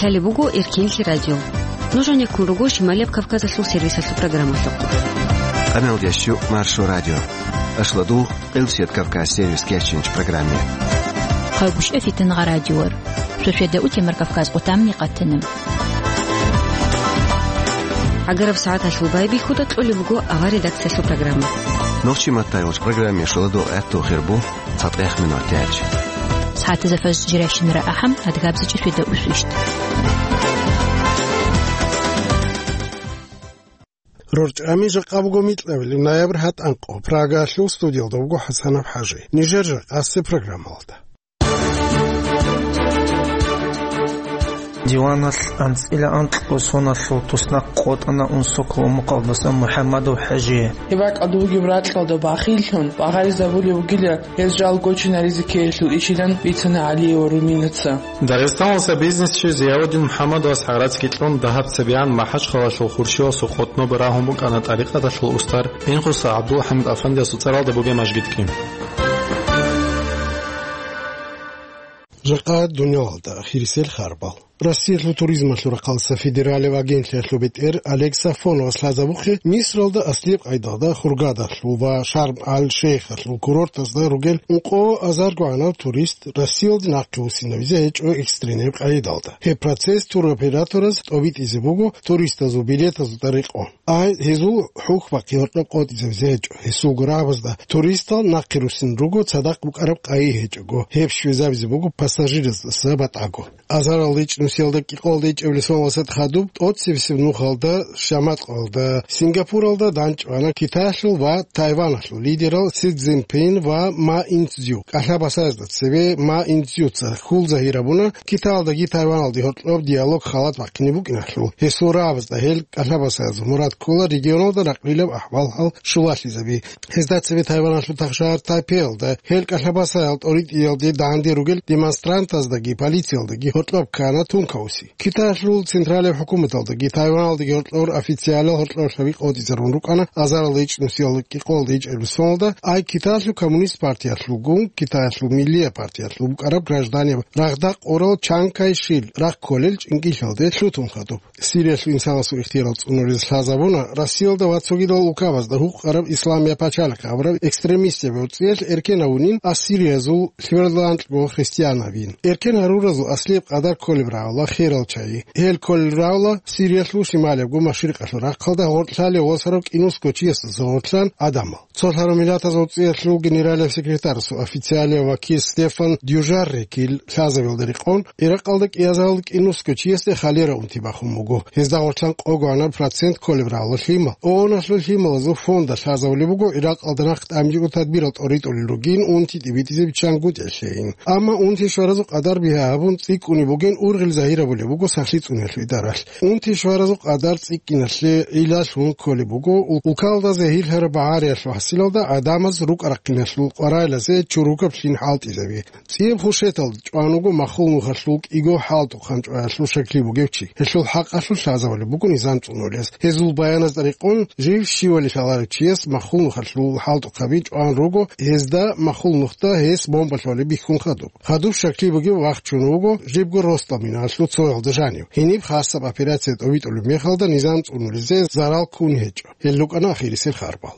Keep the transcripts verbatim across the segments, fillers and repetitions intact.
Гьале буго Эркинлъи радио. Нуж гьанеккун руго Шималияб Кавказалъул сервисалъул программалъухъ. Къамел ящу Маршо радио. Ашладу Къилсият Кавказ сервис кечинч программе. Хъайгуща фитнга радиор. Швешеда утемар Кавказ къутамни къатина. Агараб сагӀаталъул байбихьуда кьолеб буго авар редакциялъул программа. Нохчи маттай уч программе шуладу гӀатту хирбу. Цадгъех минутач. СагӀатазда фажр жирайщинара ахӀам, адгабзичӀеб фида усвищт. РорчӀами жакъа буго микьабилеб ноябрь гьатӀанкъо. Прагалъул студиялда буго ХӀасанаб ХӀажи. Нижер жакъасе программалда. Диваналъ анцӀила анкьго соналъул туснахъ къотӀана Унсокол мукъалдасан МухӀаммадов ХӀажие. Гьеб бакӀалда бугеб ракьалда бахиллъун, багъаризабулеб бугила гьез жал гочинаризе ккеялъул ишилан бицана ГӀалиева Руминаца. Дагъистаналдаса бизнесчи Зияудин МухӀаммадовас гӀарацги кьун, дагьаб цебегӀан МахӀачхъалалъул Хуршивасул къотӀноб рагьун букӀана тӀарикъаталъул устар Инхоса ГӀабдулхӀамид Афандиясул цӀаралда бугеб мажгитги. Жакъа дуниялалда ахирисел харбал. Россиялъул туризмалъул рахъалдаса федералияб агентлъиялъул бетӀер Олег Сафоновас лъазабухъе Мисралда аслияб къайдалда Хургадалъул ва Шарм-аль-Шейхалъул курортазда ругел ункъо азарго гӀанав турист Россиялде нахъе вуссинавизе гьечӀо экстренеб къайдалда. Гьеб процесс туроператораз тӀобитӀизе буго туристазул билетазда рекъон. Ай, гьезул хӀухьбахъи гьоркьоб къотӀизабизе гьечӀо. Гьесулго рагӀабазда туристал нахъе руссин руго цадахъ букӀараб къайи гьечӀого, гьеб щвезабизе буго пассажираздаса батӀаго. Азаралда ичӀнусиялда кӀикъоялда ичӀабилеб соналдаса хадуб тӀоцебесеб нухалда, Шаматкъалда, Сингапуралда данчӀвана Китаялъул ва Тайваналъул лидерал Си Цзиньпин ва Ма Инцзю. КӀалъа басаязда цебе Ма Инцзюца хьул загьир гьабуна Китаялдаги Тайваналдаги гьоркьоб диалог халат бахъине букӀиналъул. Гьесул рагӀабазда гьел кӀалъа басаязул мурад ккола регионалда ракълилаб ахӀвал-хӀал щулалъизаби. Гьезда цебе Тайваналъул тахшагьар Тайпейалда гьел кӀалъа басаял тӀоритӀиялде данде ругел демонстрантаздаги полициялдаги гьоркьоб ккана тункаоси. Китаялъул централияб хӀукуматалдаги Тайваналдаги гьоркьор официалал гьоркьорлъаби къотӀизарун рукӀана азаралда ичӀнусиялда кӀикъоялда ичӀабилеб соналда, ай Китаялъул коммунист партиялъулгун, Китаялъул миллияб партиялъул букӀараб гражданияб рагъда къорал Чан Кай-шил рагъ кколел чӀинкӀиллъалде лъутун хадуб. Сириялъул инсанасул ихтияр цӀунулез лъазабуна Россиялда ва цогидал улкабазда гьукъараб Исламияб пачалихъ абураб экстремистияб гӀурцӀиялъ эркен гьавунин ассириязул лъиверлъанкьго христианабин. Эркен гьаруразул аслияб къадар кколеб рагӀула херал чагӀи. Гьел кколел рагӀула Сириялъул шималиябго машрикъалъул рахъалда гъоркьлъалев восарав кӀинусго чиясдаса гъоркьлъан гӀадамал. Цолъарав Миллатазул ГӀурцӀиялъул генералияб секретарасул официалияб вакил Стефан Дюжаррикил лъазабиялда рекъон, Иракъалда кӀиазарал кӀинусго чиясде холера унти бахун буго. Гьезда гъоркьан къого гӀанаб процент кколеб рагӀула лъимал. ООН-алъул лъималазул фонда лъазабулеб буго, Иракъалда нахъ тӀамичӀого тадбирал тӀоритӀулел ругин унти тӀибитӀизе биччан гутӀелъейин. Амма унти щваразул къадар бигьа гьабун цӀикӀкӀунеб бугин ургъел загьирабулеб буго сахлъи цӀуниялъул идаралъ. Унти щваразул къадар цӀикӀкӀиналъе гӀилалъун кколеб буго, улкалда загьирлъараб багӀариялъул хӀасилалда гӀадамаз рукӀа-рахъиналъул къварайлъазе чурукаб лъим хӀалтӀизаби. ЦӀияб хушеталда чӀван вуго махул нухалъул кӀиго хӀалтӀухъан чӀваялъул шакли бугев чи. Гьелъул хӀакъалъулъ лъазабулеб буго низам цӀунулес. Гьезул баяназда рекъон, жив щивали лъаларев чияс махул нухалъул хӀалтӀухъаби чӀван руго, гьезда махул нухда гьес бомба лъолеб бихьун хадуб. Хадуб шакли бугев вахчун вуго жибго росдал минаналъул цоялда жанив. Гьениб хасаб операция тӀобитӀулеб мехалда низам цӀунулезе зарал ккун гьечӀо. Гьел рукӀана ахирисел харбал.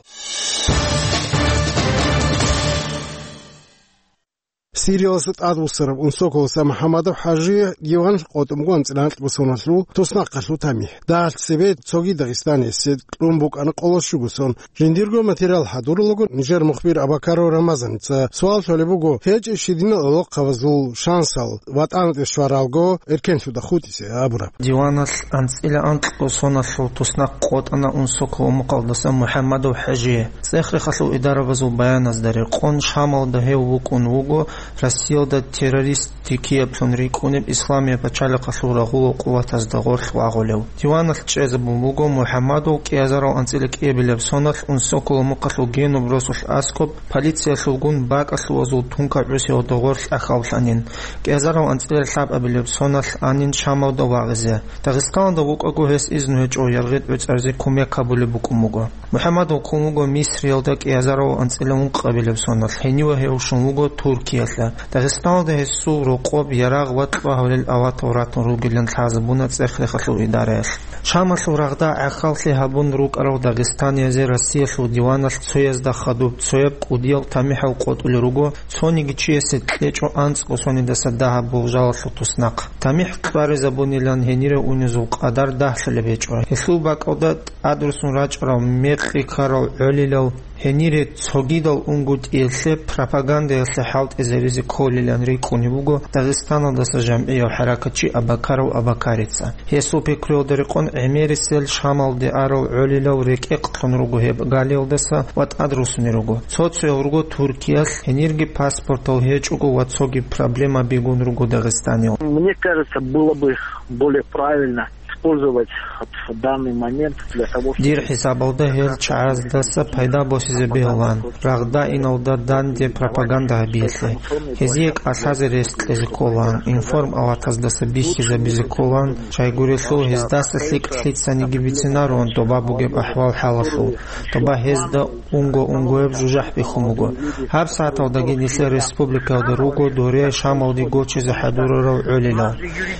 Сирияласа тӀадвуссараб Унсоколаса МухӀаммадов ХӀажи диван къотӀун буго анцӀила анкьго соналъул туснахъалъул тамихӀ. Дагьалъ цебе цоги дагъистаниясе кьун букӀана къоло щуго сон. Жиндирго материал хӀадурулаго нижер мухбир Абакаров Рамазаница суал лъолеб буго, гьечӀеб щидинал гӀолохъабазул шансал ВатӀаналде щваралго эркенлъуда хутӀизе абураб. Диваналъ анцӀила анкьго соналъул туснахъ къотӀана Унсокол мукъалдасан МухӀаммадов ХӀажие. ЦӀех-рехалъул идарабазул баяназда рекъон, Шамалда гьев вукӀун вуго Россиялда террорист риккиаблъун рикӀкӀунеб Исламияб пачалихъалъул рагъулал къуватазда гъорлъ вагъулев. Диваналъ чӀезабун буго МухӀаммадов кӀиазарал анцӀила кӀиабилеб соналъ Унсокол мухъалъул генуб росулъ аскӀоб полициялъулгун бакӀалъувазул тунка гӀусиялда гъорлъ ахьавлъанин, кӀиазарал анцӀила лъабабилеб соналъ анин Шамалда вагъизе. Дагъистаналда вукӀаго гьес изну гьечӀо, яргъи гӀуцӀаризе кумек гьабулеб букӀун буго. МухӀаммадов ккун вуго Мисриялда кӀиазарал анцӀила ункъабилеб соналъ, гьениве гьев щун вуго Туркиялъа. Дагъистаналда гьесул рокъоб ярагъ ва кьвагьулел аватав ратун ругилан лъазабуна цӀех-рехалъул идараялъ. Шамалъул рагъда гӀахьаллъи гьабун рукӀарал дагъистаниязе Россиялъул диваналъ цоязда хадуб цояб кӀудиял тамихӀал къотӀулел руго, цониги чиясе кьечӀо анцӀго сонидаса дагьаб болжалалъул туснахъ. ТамихӀ кьваризабунилан гьенире унезул къадар дагьлъулеб гьечӀо. Гьелъул бакӀалда тӀадрусун рачӀарал мекъи ккарал гӀолилал гьенире цогидал унгутӀиялъе пропагандаялъе хӀалтӀизабизе кколилан рикӀкӀунеб буго Дагъистаналдаса жамгӀияв хӀаракатчи Абакаров Абакарица. Гьесул пикруялда рекъон гӀемерисел Шамалде арал гӀолилал рекӀекълъун руго гьеб галиялдаса ва тӀадрусунел руго. Цо-цоял руго Туркиялъ, гьенирги паспортал гьечӀого ва цоги проблемабигун руго Дагъистанил. Мне кажется, было бы более правильно использовать вот данный момент для того, чтобы... Дир хӀисабалда гьел чагӀаздаса пайда босизе бегьулаан, рагъда иналда данде пропаганда гьабиялъе. Гьезие кӀалъазе рес кьезе кколаан, информалатаздаса бихьизабизе кколаан, щайгурелъул гьездаса лъикӀ лъицаниги бицинарун доба бугеб ахӀвал-хӀалалъул, доба гьезда унго-унгояб жужахӀ бихьун буго. Гьаб сагӀаталдаги нилъер республикаялда руго доре Шамалде гочизе хӀадурарал гӀолилал.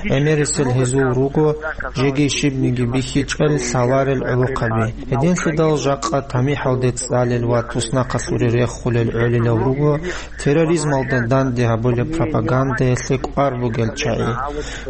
ГӀемерисел гьезул руго жеги щибниги бихьичӀел лъаларел гӀолохъаби. Гьединлъидал жакъа тамихӀалде цӀалел ва туснахъалъуре рехулел гӀолилал руго терроризмалда данде гьабулеб пропагандаялъе кӀвар бугел чагӀи.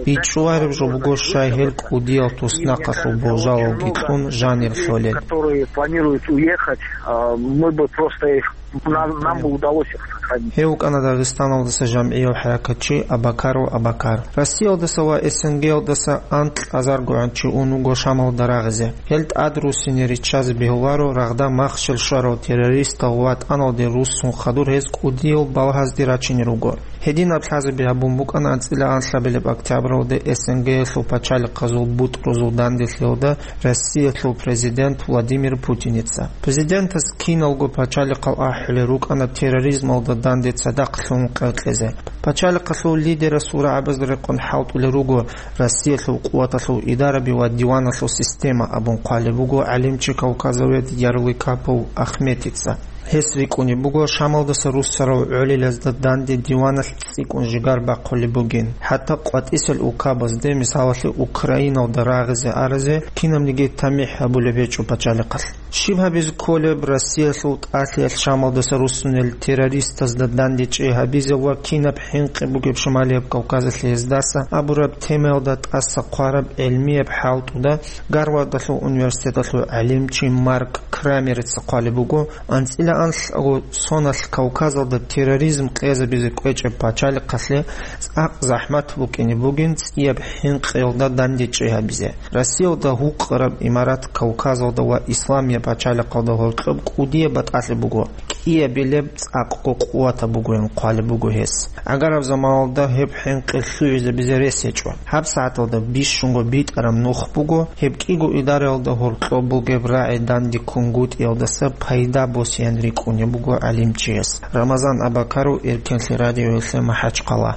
БичӀчӀулареб жо буго щай гьел кӀудиял туснахъалъул болжалалги кьун жанир лъолел. Которые планируют уехать, а, мы бы просто их, нам, нам бы удалось их сохранить. Гьев вукӀана Дагъистаналдаса жамгӀияв хӀаракатчи Абакаров Абакар. Россиялдаса ва СНГ-ялдаса анкь азаргогӀан чи ун вуго Шамалда рагъизе. Гьел тӀад руссине риччазе бегьуларо, рагъда махщел щварал террористал ва ватӀаналде руссун хадур гьез кӀудиял балагьазде рачине руго. Гьединаб лъазаби гьабун букӀана анцӀила анлъабилеб октябралда СНГ-ялъул пачалихъазул бутӀрузул данделъиялда Россиялъул президент Владимир Путиница. Президентас киналго пачалихъал ахӀулел рукӀана терроризмалда данде цадахъ лъун къеркьезе. Пачалихъалъул лидерасул рагӀабазда рекъон хӀалтӀулел руго Россиялъул къуваталъул идараби ва диваналъул система абун хъвалеб буго гӀалимчи кавказовед Ярлыкапов Ахметица. Гьес рикӀкӀунеб буго Шамалдаса руссарал гӀолилазда данде диваналъ цӀикӀкӀун жигар бахъулеб бугин. ХӀатта къватӀисел улкабазде, мисалалъе, Украиналда рагъизе аразе кинабниги тамихӀ гьабулеб гьечӀо пачалихъалъ. Щиб гьабизе кколеб Россиялъул тӀалъиялъ Шамалдаса руссунел террористазда данде чӀей гьабизе ва кинаб хӀинкъи бугеб Шамалияб Кавказалъе гьездаса абураб темаялда тӀаса хъвараб гӀилмияб хӀалтӀуда Гарвардалъул университеталъул гӀалимчи Марк Крамерица хъвалеб буго, анцӀила анлъго соналъ Кавказалда терроризм къезабизе кӀвечӀеб пачалихъалъе цӀакъ захӀмат букӀине бугин цӀияб хӀинкъиялда данде чӀей гьабизе. Россиялда гьукъараб имарат Кавказалда ва Исламияб пачалихъалда гьоркьоб кӀудияб батӀалъи буго, кӀиябилеб цӀакъго къуватаб бугоян хъвалеб буго гьес. Гьагараб заманалда гьеб хӀинкъи лъугӀизабизе рес гьечӀо. ГьабсагӀаталда бищунго битӀараб нух буго, гьеб кӀиго идараялда гьоркьоб бугеб рагӀи данде ккунгутӀиялдаса пайда босеян рикӀкӀунеб буго гӀалимчияс. Рамазан Абакаров, Эркенлъи радиоялъе, МахӀачхъала.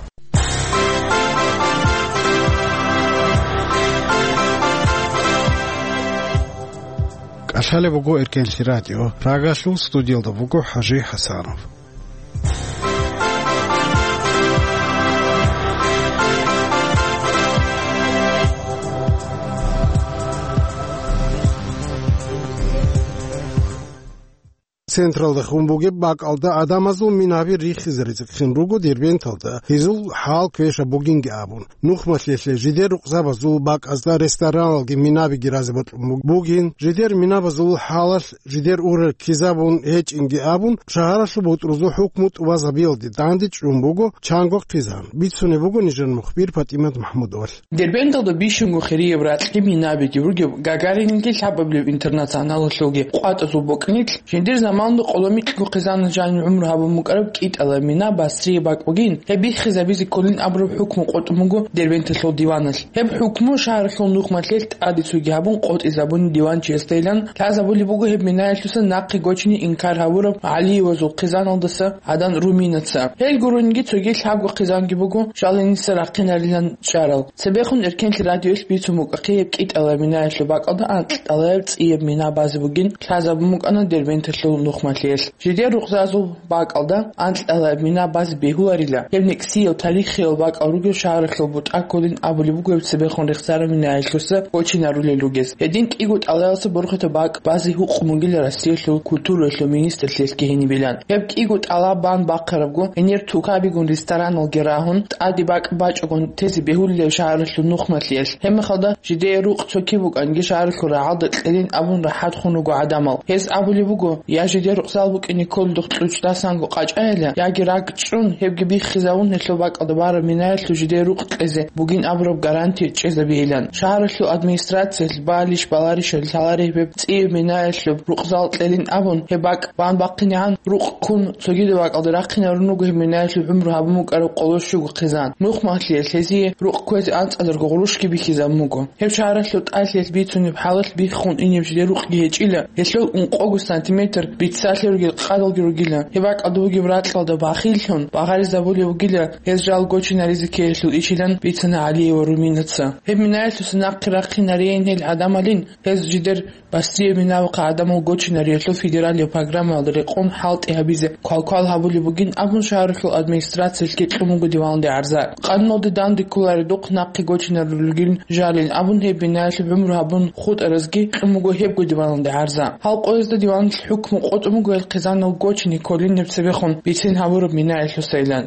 КӀалъалеб буго Эркенлъи радио. Прагалъул студиялда буго ХӀажи ХӀасанов. Централда хун бугеб бакӀалда адамазул минаби рихизе ризкъин руго Дербенталда, гьезул хӀал квеша бугинги абун. Нухмалъелъе жидер рукъзабазул бакӀазда рестораналги минабиги разе бокьун бугин, жидер минабазул хӀалалъ жидер урел ккезабун гьечӀинги абун, шагьаралъул бутӀрузул хӀукму тӀубазабиялде данде чӀун буго чанго хъизан. Бицунеб буго нижер мухбир ПатӀимат МахӀмудовалъ. Дербенталда бищунго хирияб ракьги минабиги ругеб Гагаринилги лъабабилеб интернационалалъулги къватӀазул бокӀнилъ, жиндир заманалда къоло микьго хъизанас жанир гӀумру гьабун букӀараб КӀитӀала мина Басрие бакӀ бугин, гьеб биххизабизе кколин абураб хӀукму къотӀун буго Дербенталъул диваналъ. Гьеб хӀукму шагьаралъул нухмалъелъ тӀаде цоги гьабун къотӀизабуни диванчиясдайилан лъазабулеб буго гьеб минаялъуса нахъе гочине инкар гьабураб ГӀалиевазул хъизаналдаса Гьадан Руминаца. Гьел гурониги цоги лъабго хъизанги буго жал гьениса рахъинарилан чӀарал. Цебехун Эркенлъи радиоялъ бицун букӀахъе гьеб КӀитӀала минаялъул бакӀалда анкьтӀалаяб цӀияб мина базе бугин лъазабун букӀана Дербенталъул нух. хӀукуматалъ. Жидер рукъзазул бакӀалда анкьалаб мина базе бегьуларила, гьеб некӀсияв тарихиял бакӀал ругел шагьаралъул бутӀа кколин абулеб буго гьеб цебехун рехсараб минаялъуса гочинарулел ругез. Гьедин кӀиго тӀалаялъе борхатаб бакӀ базе гьукъун бугила Россиялъул культураялъул министрлъиялъги гьенибилан. Гьеб кӀиго тӀала бан бахъарабго, гьенир тукабигун рестораналги рагьун, тӀаде бакӀ бачӀого тезе бегьулилан шагьаралъул нухмалъиялъ. Гьебмехалда жидее рукъ цоги букӀанги шагьаралъул рагӀалда кьелин абун рахӀат хун руго гӀадамал. Гьез абулеб буго, я жидер рукъзал букӀине кколдухъ кьучӀдасанго къачӀайила, яги ракӀ чӀун, гьебги биххизавун гьелъул бакӀалда бараб минаялъул жидее рукъ кьезе бугин абураб гарантия чӀезабейилан. Шагьаралъул администрациялъ балищ-баларищали лъалареб гьеб цӀияб минаялъул рукъзал кьелин абун, гьеб бакӀ бан бахъинегӀан рукъ ккун, цогидаб бакӀалда рахъинарун руго гьеб минаялъул гӀумру гьабун букӀараб къоло щуго хъизан. Нухмалъиялъ гьезие рукъ кквезе анцӀадарго гъурущги бихьизабун буго. Гьеб шагьаралъул тӀалъиялъ бицунеб хӀалалъ биххун инеб жидер рукъги гьечӀила, гьелъул ункъого сантиметр биццалъи ругел къадалги ругила. Гьеб бакӀалда бугеб ракьалда бахиллъун багъаризабулеб бугила гьез жал гочинаризе ккеялъул ичилан бицана ГӀалиева Руминаца. Гьеб минаялъуса нахъе рахъинарейин гьел гӀадамалин, гьез жидер Басрияб минабахъ гӀадамал гочинариялъул федералияб программаялда рекъон хӀалтӀи гьабизе квалквал гьабулеб бугин абун шагьаралъул администрациялъги кьун буго диваналде гӀарза. Къануналде данде кколаредухъ нахъе гочинарулелгин жалин абун гьеб бинаялъе гӀумру гьабун хутӀаразги кьун буго гьебго диваналде гӀарза. Гьал къоязда диваналъ хӀукму къотӀун буго гьел хъизанал гочине кколин гьеб цебехун бицин гьабураб минаялъусайилан.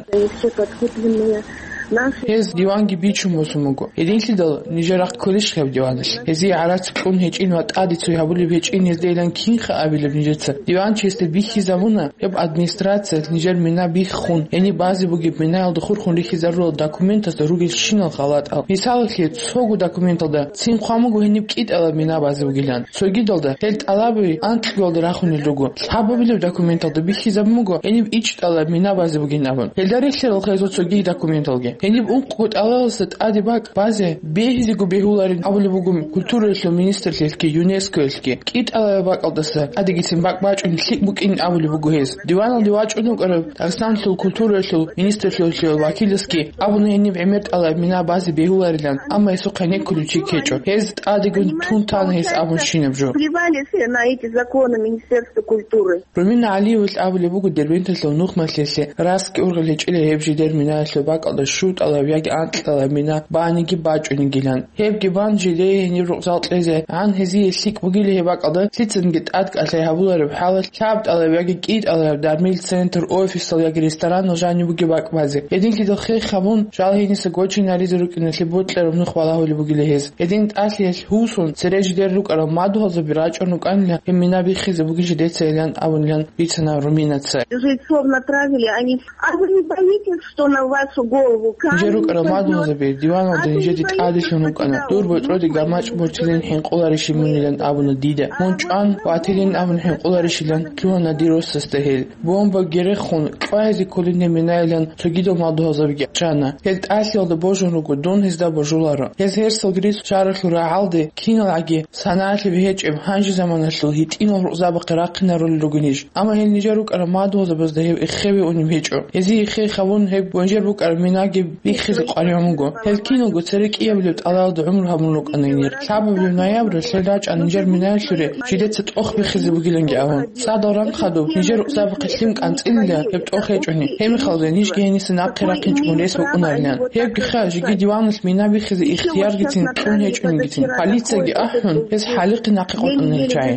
Гьез диванги бичун босун буго. Гьединлъидал нижер рахъ кколищ гьеб диваналъ? Гьезие гӀарац кьун гьечӀин ва тӀаде цой гьабулеб гьечӀин гьездейилан кинха абилеб нижеца? Диванчиясда бихьизабуна гьеб администрациялъ нижер мина биххун, гьениб базе бугеб минаялда хурхун рихьизарурал документазда ругелщинал халатӀал. Мисалалъе, цого документалда цин хъван буго гьениб кӀитӀалаб мина базе бугилан. Цогидалда гьел тӀалаби анкьгоялда рахунел руго. Лъабабилеб документалда бихьизабун буго гьениб ичӀтӀалаб мина базе бугин абун. Гьелда релълъарал гьезул цоги документалги. Гьениб ункъго тӀалаялдаса тӀаде бакӀ базе бегьизего бегьуларин абулеб буго культураялъул министрлъиялъги ЮНЕСКОялъги. КӀитӀалаб бакӀалдаса тӀадегицин бакӀ бачӀун лъикӀ букӀин абулеб буго гьез. Диваналде вачӀун вукӀарав Дагъистаналъул культураялъул министрлъиялъул вакиласги абуна гьениб гӀемер тӀалаб мина базе бегьуларилан, амма гьесухъ гьенеккулев чи ккечӀо. Гьез тӀадегун тун тана гьес абун щинаб жо. Плевали все на эти законы Министерства культуры. Румина ГӀалиевалъ абулеб буго Дербенталъул нухмалъиялъе раскги ургъел гьечӀила гьеб жидер минаялъул бакӀалда щутӀалаб яги анкьалаб мина баниги бачӀунигилан. Гьебги бан, жидее гьениб рукъзал кьезе, гьан гьезие лъикӀ бугила гьеб бакӀалда лъицанги тӀадкӀалъай гьабулареб хӀалалъ лъабтӀалаб яги кӀитӀалаб дармил центр, офисал яги ресторанал жаниб бугеб бакӀ базе. Гьединлъидал хех гьабун, жал гьениса гочинаризе рукӀиналъе бокьараб нух балагьулеб бугила гьез. Гьедин тӀалъиялъ гьусун, цере жидер рукӀарал мадугьалзаби рачӀун рукӀанила гьеб мина биххизе бугин жидеца илан абунилан бицана Руминаца. Жильцов направили, они А вы не боитесь, что на вашу голову камень упадёт? Нижер рукӀарал мадугьалзаби диваналда нижеде тӀаделъун рукӀана. Дур бочӀоде гамачӀ бортилин хӀинкъуларищ мунилан абуна дида. Мун чӀван ватилин абун хӀинкъуларищилан лъугьана дир росасда гьел. Бомба герехун кьвагьизе кколин гьеб минайилан цогидал мадугьалзабиги чӀана. Гьел тӀалъиялда божун руго, дун гьезда божуларо. Гьез гьерсал гьарун шагьаралъул рагӀалде киналгӀаги санаялъе бигьечӀеб гьанже заманалъул гьитӀинал рукъзабахъе рахъинарулел ругинищ? Амма гьел нижер рукӀарал мадугьалзабазда гьеб эххеве унеб гьечӀо. Гьезие эххей гьабун, гьеб гьанжер букӀараб минаги биххизе къваригӀун буго. Гьел киналго цере кӀиабилеб тӀалаялда гӀумру гьабун рукӀана гьенир. Лъабабилеб ноябралъ гьел рачӀана нижер минаялъуре жидеца тӀох биххизе бугиланги абун. ЦӀадал рахъ хадуб, нижер рукъзабахъе лъим кӀанцӀилила гьеб тӀох гьечӀони. Гьебмехалда нижги гьениса нахъе рахъинчӀого рес букӀунарилан. Гьебги ха, жеги диваналъ мина биххизе ихтияргицин кьун гьечӀонигицин. Полицияги ахӀун, гьез хӀалихъе нахъе къотӀана гьел чагӀи.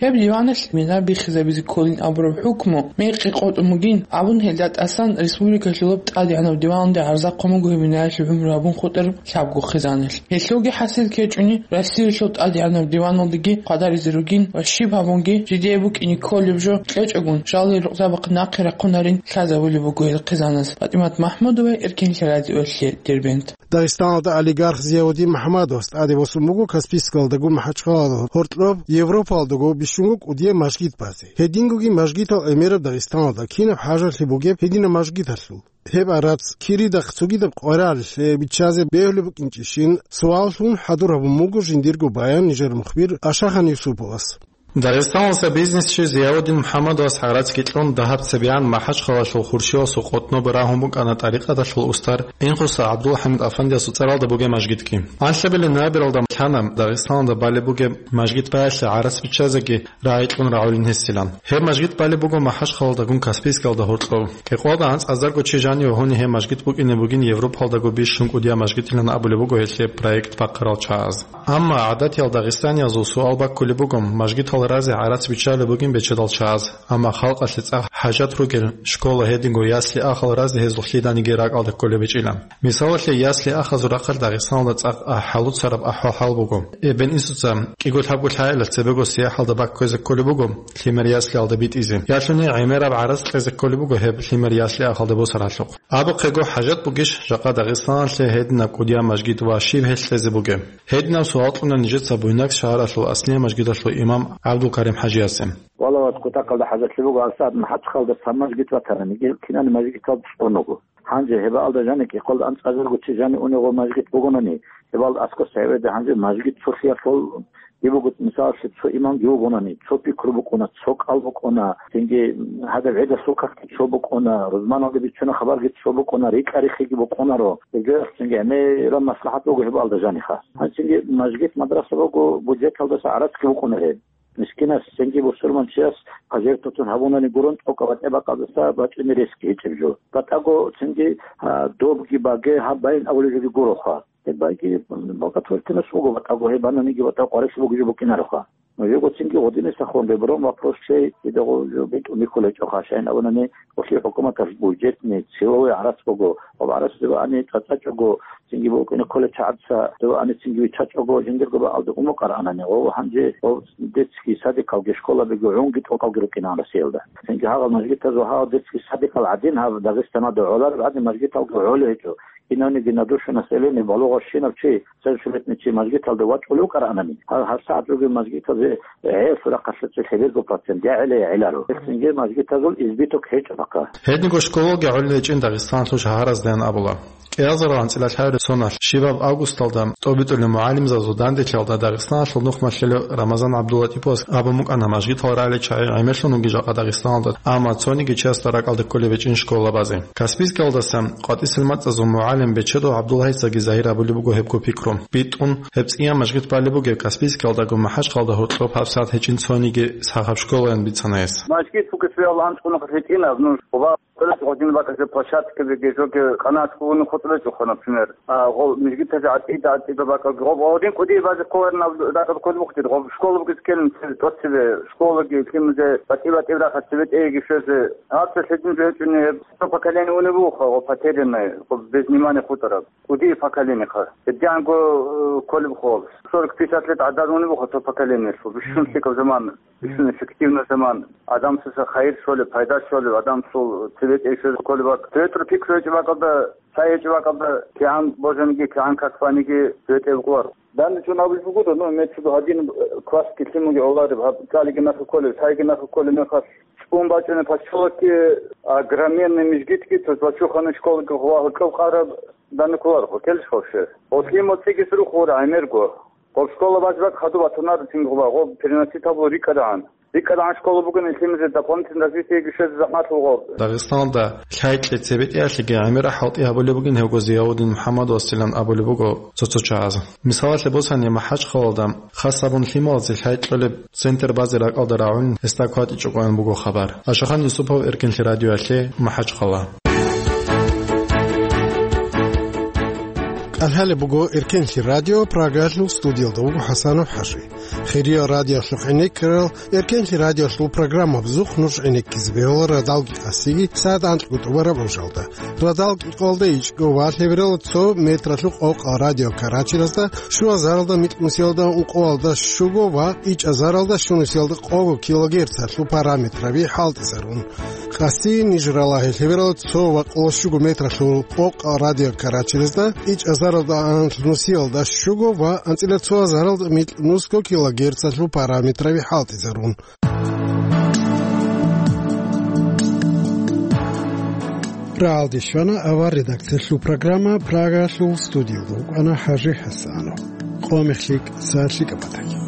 Гьеб диваналъ мина биххизабизе кколин абураб хӀукму мекъи къотӀун бугин абун, гьелда тӀасан республикалъулаб тӀадегӀанаб диваналде гӀарза хъван буго гьеб минаялъул гӀумру гьабун хутӀараб лъабго хъизаналъ. Гьелъулги хӀасил ккечӀони, Россиялъул тӀадегӀанаб диваналдеги хъвадаризе ругин ва щиб гьабунги, жидее букӀине кколеб жо кьечӀогун, жал гьел рукъзабахъ нахъе рахъунарин лъазабулеб буго гьел хъизанас. ПатӀимат МахӀмудова, Эркин лъарадиолъе, Дербент. Дагъистаналда олигарх Зияудин МухӀаммадовас тӀаде босун буго Каспийскалдаго МахӀачхъаладал гьоркьоб, Европалдаго бищунго кӀудияб мажгит базе. Гьедингоги мажгитал гӀемераб Дагъистаналда кинаб хӀажалъи бугеб гьединаб мажгиталъул. Гьеб гӀарац киридахъ цогидаб къваригӀеллъи биччазе бегьулеб букӀинчӀищин суаллъун хӀадур гьабун буго жиндирго баян нижер мухбир Ашахан Юсуповас. Дагъистаналдаса бизнесчи Зияудин МухӀаммадовас гӀарацги кьун, дагьаб цебегӀан МахӀачхъалалъул Хуршивасул къотӀноб рагьун букӀана тӀарикъаталъул устар Инхоса ГӀабдулхӀамид Афандиясул цӀаралда бугеб мажгитги. Анлъабилеб ноябралда лъана Дагъистаналда балеб бугеб мажгит баялъе гӀарац биччазеги рагӀи кьун рагӀулин гьесилан. Гьеб мажгит балеб буго МахӀачхъалалдагун Каспийскалда гьоркьов. Кьекъоялда анцӀазарго чи жаниве гьуни гьеб мажгит букӀине бугин Европалдаго бищун кӀудияб мажгитилан абулеб буго гьелъе проект бахъарал чагӀаз. Амма гӀадатиял дагъистаниязул суал баккулеб буго, мажгитал разе гӀарац биччалеб бугин бечедал чагӀаз, амма халкъалъе цӀакъ хӀажат ругел школа, гьединго ясли-ахал разе гьезул лъиданиги ракӀалде кколеб гьечӀила. Мисалалъе, ясли-ахазул рахъалъ Дагъистаналда цӀакъ а-, хӀалуцараб ахӀвал-хӀал буго. Эбен-инсуца кӀиго-лъабго лъагӀалилъ цебего сияхӀалда бакквезе кколеб буго лъимер яслиялда битӀизе. Ялъуни гӀемераб гӀарац кьезе кколеб буго гьеб лъимер ясли-ахалде босаралъухъ. Абухъего, хӀажат бугищ жакъа Дагъистаналъе гьединаб кӀудияб мажгит ва щиб гьелъ кьезе бугеб? Гьединаб суал кьуна нижеца Буйнакск шагьаралъул Аслия мажгиталъул имам ГӀабдулкарим ХӀажиясе. Валлагь, кутакалда хӀажатлъи буго, гьабсагӀат МахӀачхъалда цо мажгит ватарани, кинани мажгитал цӀуного. Гьанже гьебаалда жаниб кӀикъоялда анцӀазарго чи жанив унего мажгит бугонани, гьебаалда аскӀоса гьеведа гьанже мажгит цолъиялъул. Дибуго, мисалалъе, цо имамги вугонани, цо пикру букӀуна, цо кӀал букӀуна, цинги гьадаб гӀидалъул какги цо букӀуна, рузманалде бицуна хабарги цо букӀуна, рикӀа-рихиги букӀунаро. Гьеб жоялъ цинги гӀемераб маслахӀат буго гьебаалда жаниха. Гьанже цинги мажгит, мадраса буго, бюджеталдаса гӀарацги букӀуна гьеб. Мискинас, цинги бусурманчияс пожертвовать гьабунани гурун, тӀокӀаб батӀи-бакӀалдаса бачӀине ресги гьечӀеб жо. БатӀаго цинги, а, добги баге гьаб байин абулеб жоги гуроха. Гьеб байги благотворительность буго, батӀаго гьеб бананиги батӀа къварилъи бугеб жо букӀинароха. Нужего цинги гъодинесахун ребром вопрос чей, дидаго жо битӀун бихьулечӀоха, щайин абунани, гъолъи хӀукуматалъ бюджетный, целевой гӀарац буго, ва гӀарац дивани цӀацӀачӀого, цинги букӀине кколел чагӀаца дивани цинги виччачӀого, жиндирго бакӀалда умукъарагӀанани, ва гьанже ва детский садикалги школабиги гӀунги тӀокӀалги рукӀинан Россиялда. Цинги гьагъал мажгитазул гьагъал детский садикал гӀадин, гьаб Дагъистаналда гӀолареб гӀадин мажгиталги гӀолей гьечӀо. Инавниги на душу населения балугъав щинав чи, совершеннолетний чи мажгиталда вачӀулев вукӀараанани, гьал гьабсагӀат ругел мажгитазе гӀелсул рахъалъа цӀи лъеберго процент я гӀеле, я гӀеларо. Гьелъинги мажгитазул избиток гьечӀо бакӀа. Гьединго школалги гӀолиличӀин Дагъистаналъул шагьараздаян абула. КӀиазарал анцӀила лъабилеб соналъ, щибаб августалда тӀобитӀулеб мугӀалимзабазул данделъиялда Дагъистаналъул нухмалъулев Рамазан ГӀабдуллатӀиповас абун букӀана мажгитал рагӀалил чагӀи гӀемерлъун вугин жакъа Дагъистаналда, амма цониги чиясда ракӀалде кколеб гьечӀин школабазе. Каспийскалдаса къватӀисел мацӀазул мугӀалим Бечедов ГӀабдуллагьицаги загьир абулеб буго гьебго пикру. БитӀун, гьеб цӀияб мажгит балеб бугеб Каспийскалдаго МахӀачхъалда гьоркьоб гьабсагӀат гьечӀин цониги сахаб школаян бицана гьес. Мажгит бугес вегӀал анцӀгӀунахъ гьитӀинаб, ну, ва гъодин бакӀазе площадкабиги, жоги къанагӀат гьуни хутӀулечӀоха, например. А, гъо, мажгитазе гӀатӀида, гӀатӀида бакӀалги. Гъо, гъодин кӀудияб базе кколарин аб-, дагъаб кколеб бугьтир, гъо, школа бугес ккелин цебе тӀоцебе, школаги, лъимазе, батӀи-батӀи рахъа цебетӀеги щвезе. Гьаб цо лъедин жо гьечӀони гьеб. Цо поколение унеб бугоха, гъо, потерянное, гъо, без внимания хутӀараб. КӀудияб поколениеха. ГьедигӀанго, э, кколеб хол. Сорок-пятьдесят лет гӀадамал унеб бугоха цо поколениялъул. Бищун лъикӀаб заман, бищун эффективный заман. Адамсаса хайир щолеб, пайда щолеб, адамсул цебетӀей щвезе кколеб бакӀ. ЦебетӀер пикру гьечӀеб бакӀалда, цай гьечӀеб бакӀалда, кигӀан божаниги, кигӀан как баниги цебетӀей букӀунаро. Данде чӀун абулеб буго, ну, имеется в виду, гьадин, э, классги лъимаги гӀолареб, гьаб цалиги нахъе кколеб, цайги нахъе кколеб мехалъ, цӀун бачӀунеб поселокги, огроменный мижгитги, то есть бачухъанаб школаги гъо гьоркьоб къараб данде кколарохъо, ккелищ вообще? Гъо лъимал цӀигес рухъ гъура гӀемерго. Гъоб школа базе бакӀ хадуб батунар цинги гъуба, гъоб переносить гьабулеб рикӀкӀадегӀан. РикӀкӀадегӀан школа бугони лъимазе дополнительно развитиеги щвезе захӀмалъула гъоб. Дагъистаналда лъай кьезе цебетӀеялъеги гӀемерал хӀалтӀи гьабулеб бугин гьебго Зияудин МухӀаммадовасилан абулеб буго цо-цо чагӀаз. Мисалалъе босани, МахӀачхъалалда хасабун лъималазе лъай кьолеб центр базе ракӀалда рагӀун гьесда кватӀичӀого ан буго хабар. Ашахан Юсупов, Эркенлъи радиоялъе, МахӀачхъала. КӀалъалеб буго Эркенлъи радио, Прагаялъул студиялда вуго ХӀасанов ХӀажи. Хириял радиоялъухъ гӀенеккарал Эркенлъи радиоялъул программабазухъ нуж гӀенеккизе бегьула радалги къасиги сагӀат анкьго тӀубараб гӀужалда. Радал кӀикъоялда ичӀго ва лъебералда цо метралъухъ къокъал радио Карачиразда, щуазаралда микьнусиялда ункъоялда щуго ва ичӀазаралда щунусиялда къого килогерцалъул параметраби хӀалтӀизарун. Къасиги ниж ралагье лъебералда цо ва къоло щуго метралъул къокъал радио Карачиразда, ичӀазаралда анлънусиялда щуго ва анцӀила цоазаралда микьнусго килогерцалъул параметраби хӀалтӀизарун. Рагьалде щвана авар редакциялъул программа, Прагаялъул студиялда вукӀана ХӀажи ХӀасанов. Къо мехлъи, сагӀат лъикӀаб батаги.